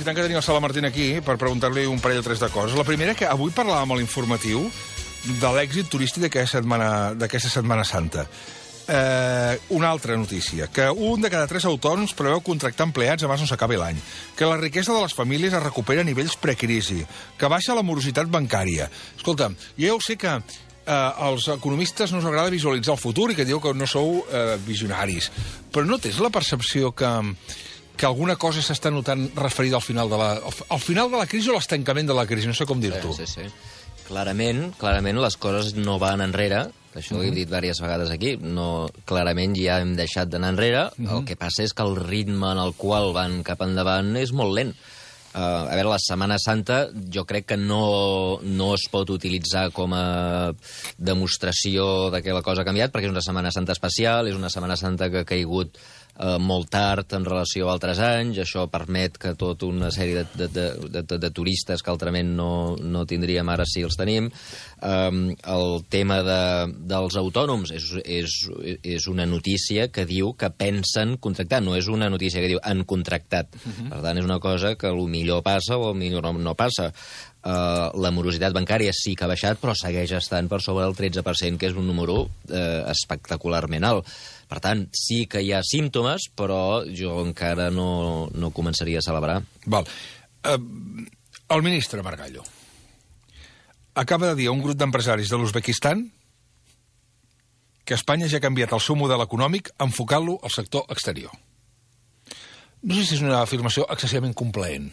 aprofitant que tenim el Sala Martín aquí per preguntar-li un parell o tres de coses. La primera, que avui parlàvem a l'informatiu de l'èxit turístic d'aquesta Setmana Santa. Una altra notícia, que un de cada 3 autònoms preveu contractar empleats abans no s'acabi l'any, que la riquesa de les famílies es recupera a nivells precrisi, que baixa la morositat bancària. Escolta, jo ja ho sé que als economistes no us agrada visualitzar el futur i que diu que no sou visionaris, però no tens la percepció que alguna cosa s'està notant referida al final de la crisi o l'estancament de la crisi? No sé com dir-t'ho. Sí. Clarament les coses no van enrere. Això ho he dit diverses vegades aquí. Clarament ja hem deixat d'anar enrere. El que passa és que el ritme en el qual van cap endavant és molt lent. A veure, la Setmana Santa jo crec que no es pot utilitzar com a demostració de que la cosa ha canviat, perquè és una Setmana Santa especial, és una Setmana Santa que ha caigut molt tard en relació a altres anys. Això permet que tota una sèrie de turistes que altrament no tindríem, ara sí els tenim. El tema dels autònoms és una notícia que diu que pensen contractar, no és una notícia que diu han contractat. Per tant, és una cosa que millor passa o millor no passa. La morositat bancària sí que ha baixat, però segueix estant per sobre del 13%, que és un número espectacularment alt. Per tant, sí que hi ha símptomes, però jo encara no començaria a celebrar. Val. El ministre Margallo acaba de dir a un grup d'empresaris de l'Uzbekistan que Espanya ja ha canviat el seu model econòmic enfocant-lo al sector exterior. No sé si és una afirmació excessivament complaent.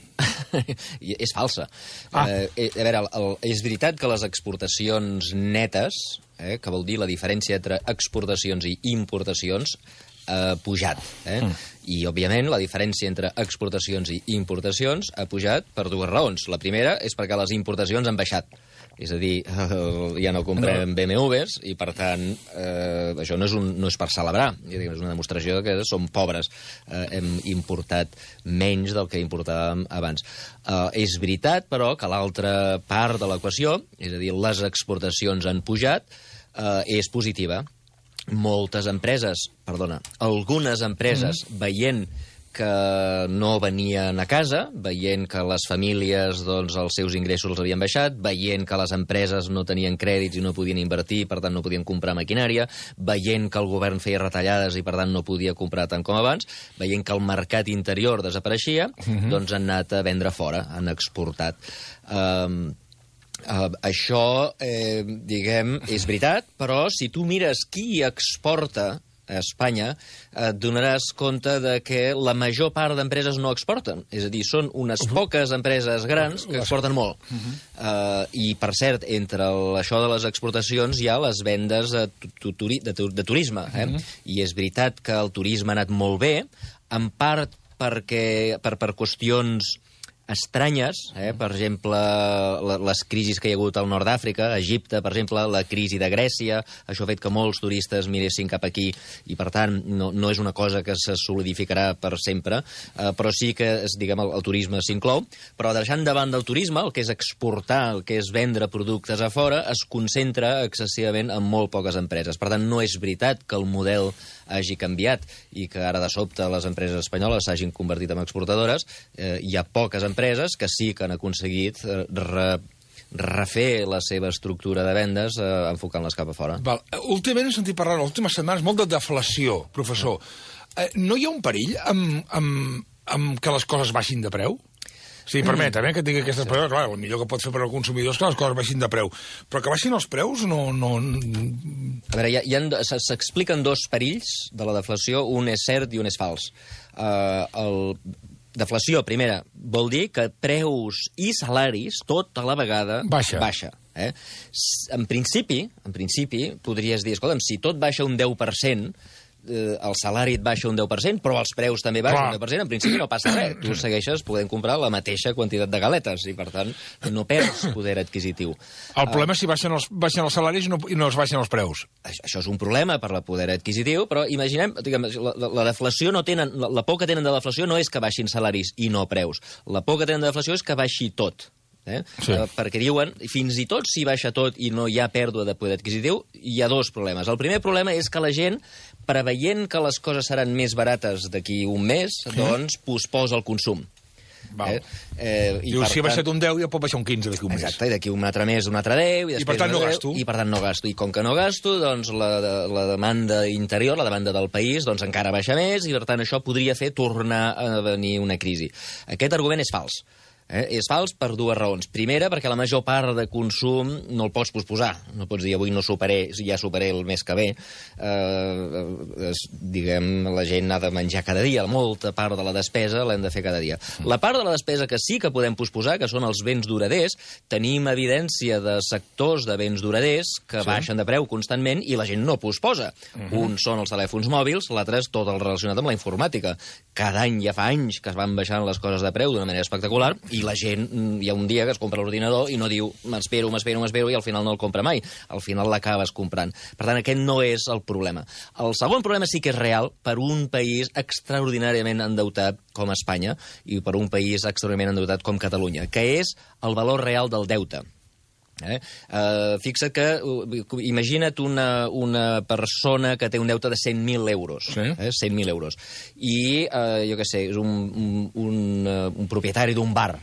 És falsa. A veure, és veritat que les exportacions netes, que vol dir la diferència entre exportacions i importacions, ha pujat. I, òbviament, la diferència entre exportacions i importacions ha pujat per dues raons. La primera és perquè les importacions han baixat. És a dir, ja no comprem BMWs i, per tant, això no és per celebrar. És una demostració que som pobres. Hem importat menys del que importàvem abans. És veritat, però, que l'altra part de l'equació, és a dir, les exportacions han pujat, és positiva. Algunes empreses, veient que no venien a casa, veient que les famílies, doncs, els seus ingressos els havien baixat, veient que les empreses no tenien crèdits i no podien invertir, per tant no podien comprar maquinària, veient que el govern feia retallades i per tant no podia comprar tant com abans, veient que el mercat interior desapareixia, doncs han anat a vendre fora, han exportat. Això, diguem, és veritat, però si tu mires qui exporta a Espanya, et donaràs compte de que la major part d'empreses no exporten. És a dir, són unes poques empreses grans que exporten molt. I, per cert, entre això de les exportacions hi ha les vendes de turisme. I és veritat que el turisme ha anat molt bé, en part per qüestions estranyes, per exemple, les crisis que hi ha hagut al nord d'Àfrica, a Egipte, per exemple, la crisi de Grècia, això ha fet que molts turistes miressin cap aquí i, per tant, no és una cosa que se solidificarà per sempre, però sí que, diguem, el turisme s'inclou, però deixant de banda el turisme, el que és exportar, el que és vendre productes a fora, es concentra excessivament en molt poques empreses. Per tant, no és veritat que el model hagi canviat i que ara de sobte les empreses espanyoles s'hagin convertit en exportadores. Hi ha poques empreses que sí que han aconseguit refer la seva estructura de vendes enfocant-les cap a fora. Últimament he sentit parlar en les últimes setmanes molt de deflació, professor. No hi ha un perill amb que les coses baixin de preu? Sí, permetem, que tingui aquestes preus. Clar, el millor que pot fer per al consumidor és que les coses baixin de preu. Però que baixin els preus no... A veure, s'expliquen dos perills de la deflació, un és cert i un és fals. Deflació, primera, vol dir que preus i salaris, tot a la vegada, baixa. En principi, podries dir, escolta'm, si tot baixa un 10%, el salari et baixa un 10%, però els preus també baixen un 10%, en principi no passa res. Tu segueixes podent comprar la mateixa quantitat de galetes i, per tant, no perds poder adquisitiu. El problema és si baixen els salaris i no es baixen els preus. Això és un problema per la poder adquisitiu, però imaginem, la deflació no tenen... La por que tenen de deflació no és que baixin salaris i no preus. La por que tenen de deflació és que baixi tot. Perquè diuen, fins i tot si baixa tot i no hi ha pèrdua de poder adquisitiu, hi ha dos problemes. El primer problema és que la gent, preveient que les coses seran més barates d'aquí un mes, doncs posposa el consum. Diu, si ha baixat un 10, ja pot baixar un 15 d'aquí un mes. Exacte, i d'aquí un altre mes un altre 10, I per tant no gasto. I per tant no gasto. I com que no gasto, doncs la demanda interior, la demanda del país, doncs encara baixa més, i per tant això podria fer tornar a venir una crisi. Aquest argument és fals. És fals per dues raons. Primera, perquè la major part de consum no el pots posposar. No pots dir, avui no ja superé el mes que ve. Diguem, la gent ha de menjar cada dia. Molta part de la despesa l'hem de fer cada dia. La part de la despesa que sí que podem posposar, que són els béns duraders, tenim evidència de sectors de béns duraders que baixen de preu constantment i la gent no posposa. Un són els telèfons mòbils, l'altre és tot el relacionat amb la informàtica. Cada any, ja fa anys, que es van baixant les coses de preu d'una manera espectacular, i la gent, hi ha un dia que es compra l'ordinador i no diu m'espero, i al final no el compra mai. Al final l'acabes comprant. Per tant, aquest no és el problema. El segon problema sí que és real per un país extraordinàriament endeutat com Espanya i per un país extraordinàriament endeutat com Catalunya, que és el valor real del deute. Fixa't que, imagina't una persona que té un deute de 100.000 euros. 100.000 euros. I, jo què sé, és un propietari d'un bar.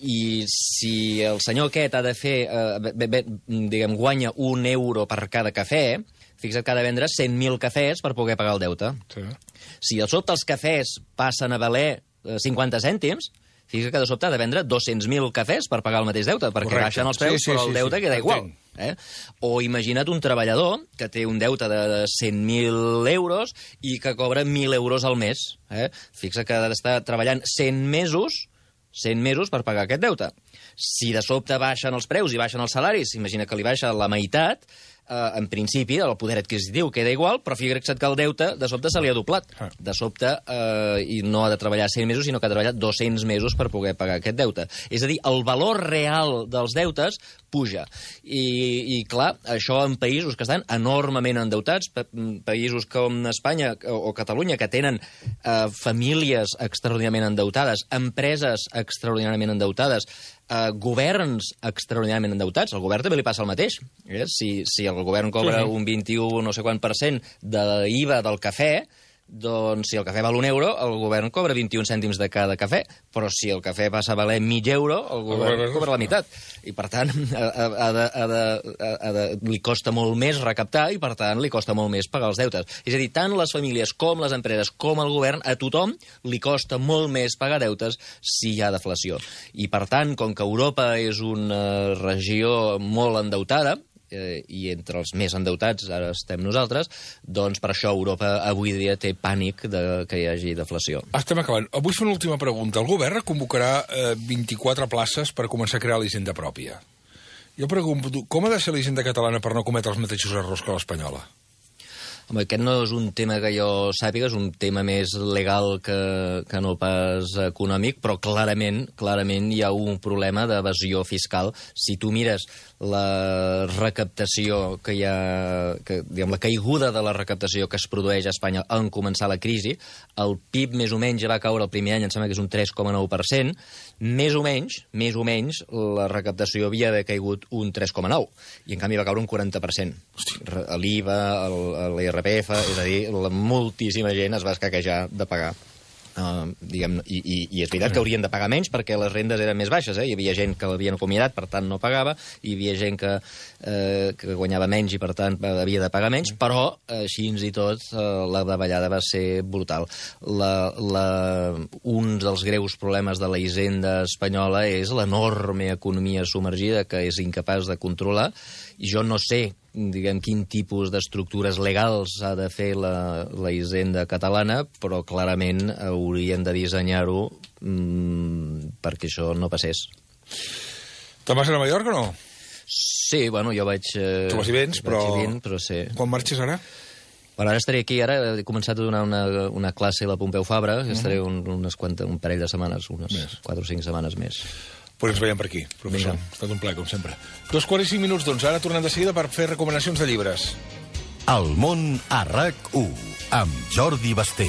I si el senyor aquest ha de fer, diguem, guanya €1 per cada cafè, fixa't que ha de vendre 100.000 cafès per poder pagar el deute. Si de sobte els cafès passen a valer 50 cèntims, fixa't que de sobte ha de vendre 200.000 cafès per pagar el mateix deute, perquè baixen els preus, però el deute queda igual. O imagina't un treballador que té un deute de 100.000 euros i que cobra 1.000 euros al mes. Fixa't que ha d'estar treballant 100 mesos per pagar aquest deute. Si de sobte baixen els preus i baixen els salaris, imagina que li baixa la meitat, en principi, el poder adquisitiu queda igual, però fixa't que el deute de sobte se li ha doblat. De sobte, i no ha de treballar 100 mesos, sinó que ha de treballar 200 mesos per poder pagar aquest deute. És a dir, el valor real dels deutes puja. I clar, això en països que estan enormement endeutats, països com Espanya o Catalunya, que tenen famílies extraordinàriament endeutades, empreses extraordinàriament endeutades, governs extraordinàriament endeutats. Al govern també li passa el mateix. Si el govern cobra un 21 no sé quant % de l'IVA del cafè, doncs si el cafè val €1, el govern cobra 21 cèntims de cada cafè, però si el cafè passa a valer €0,5, el govern cobra la meitat. I, per tant, li costa molt més recaptar i, per tant, li costa molt més pagar els deutes. És a dir, tant les famílies com les empreses com el govern, a tothom li costa molt més pagar deutes si hi ha deflació. I, per tant, com que Europa és una regió molt endeutada, i entre els més endeutats ara estem nosaltres, doncs per això Europa avui dia té pànic que hi hagi deflació. Estem acabant. Avui fa una última pregunta. El govern convocarà 24 places per començar a crear l'hisenda pròpia. Jo pregunto, com ha de ser l'hisenda catalana per no cometre els mateixos errors que l'espanyola? Home, aquest no és un tema que jo sàpiga, és un tema més legal que no pas econòmic, però clarament hi ha un problema d'evasió fiscal. Si tu mires la recaptació que hi ha, diguem, la caiguda de la recaptació que es produeix a Espanya en començar la crisi, el PIB més o menys ja va caure el primer any, em sembla que és un 3,9%, més o menys, la recaptació havia d'haver caigut un 3,9%, i en canvi va caure un 40%. L'IVA, l'IRPF, és a dir, moltíssima gent es va escaquejar de pagar. I és veritat que haurien de pagar menys perquè les rendes eren més baixes. Hi havia gent que l'havien acomiadat, per tant no pagava, hi havia gent que guanyava menys i per tant havia de pagar menys, però així i tot la davallada va ser brutal. Un dels greus problemes de la hisenda espanyola és l'enorme economia submergida que és incapaç de controlar, i jo no sé quin tipus d'estructures legals ha de fer la hisenda catalana, però clarament haurien de dissenyar-ho perquè això no passés. Te'n vas a Nova York o no? Sí, bueno, jo vaig... Tu vas i vens, però sí. Quan marxes ara? Ara estaré aquí, ara he començat a donar una classe a la Pompeu Fabra, estaré un parell de setmanes, unes 4 o 5 setmanes més. Pues ens veiem per aquí, professor. Ha estat un plaer, com sempre. 2:45, doncs ara tornem de seguida per fer recomanacions de llibres. El món a RAC1, amb Jordi Basté.